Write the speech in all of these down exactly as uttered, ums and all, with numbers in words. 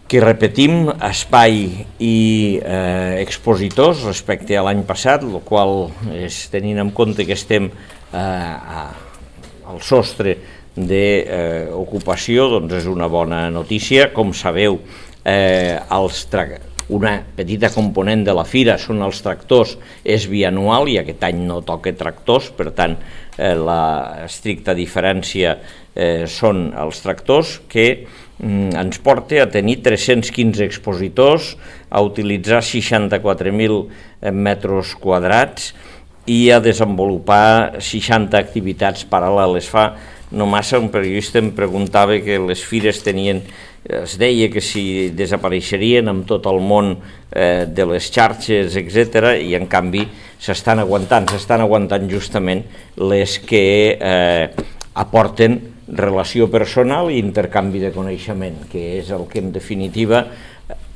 que repetim espai i eh, expositors respecte a l'any passat, el qual és tenint en compte que estem eh, a, al sostre d'ocupació, doncs és una bona notícia. Com sabeu, eh, els una petita component de la fira són els tractors, és bianual i aquest any no toca tractors, per tant eh, la estricta diferència eh, són els tractors, que mm, ens porta a tenir tres-cents quinze expositors, a utilitzar seixanta-quatre mil metres quadrats i a desenvolupar seixanta activitats paral·leles. Fa no massa un periodista em preguntava que les fires tenien, es deia que si desapareixerien amb tot el món eh, de les xarxes, etcètera, i en canvi s'estan aguantant, s'estan aguantant justament les que eh, aporten relació personal i intercanvi de coneixement, que és el que en definitiva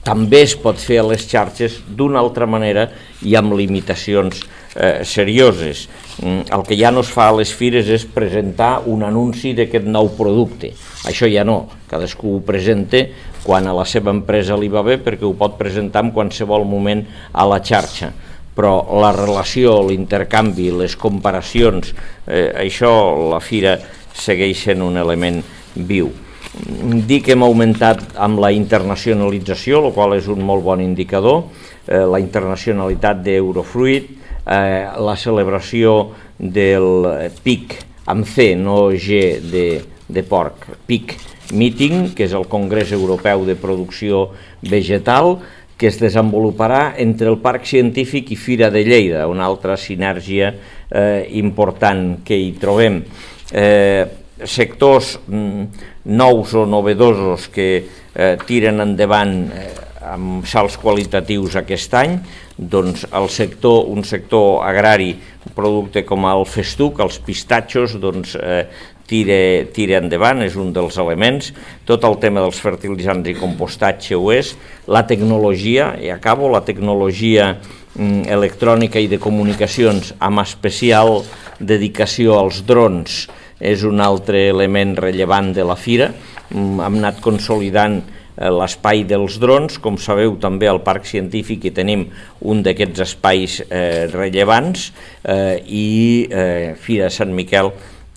també es pot fer a les xarxes d'una altra manera i amb limitacions eh, serioses. El que ja no es fa a les fires és presentar un anunci d'aquest nou producte. Això ja no, cadascú ho presenta quan a la seva empresa li va bé, perquè ho pot presentar en qualsevol moment a la xarxa. Però la relació, l'intercanvi, les comparacions, eh, això la fira segueix sent un element viu. Dir que hem augmentat amb la internacionalització, el qual és un molt bon indicador, eh, la internacionalitat d'Eurofruit, eh, la celebració del P I C, amb C, no G de, de porc, P I C Meeting, que és el Congrés Europeu de Producció Vegetal, que es desenvoluparà entre el Parc Científic i Fira de Lleida, una altra sinergia eh, important que hi trobem. Eh, sectors mm, nous o novedosos que eh, tiren endavant eh, amb salts qualitatius aquest any, doncs el sector, un sector agrari, un producte com el festuc, els pistatxos, doncs eh, tira, tira endavant, és un dels elements. Tot el tema dels fertilitzants i compostatge ho és. La tecnologia, i acabo, la tecnologia mm, electrònica i de comunicacions amb especial dedicació als drons, és un altre element rellevant de la fira. Hem anat consolidant l'espai dels drons, com sabeu també al Parc Científic hi tenim un d'aquests espais eh, rellevants eh, i eh, Fira de Sant Miquel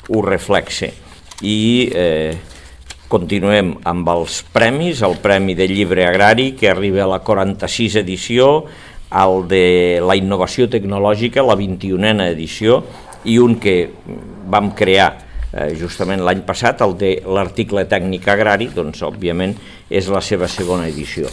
ho reflexa. I eh, continuem amb els premis, el Premi de Llibre Agrari, que arriba a la quaranta-sisena edició, el de la innovació tecnològica, la vint-i-unena edició, i un que vam crear justament l'any passat, el de l'article tècnic agrari, doncs òbviament és la seva segona edició.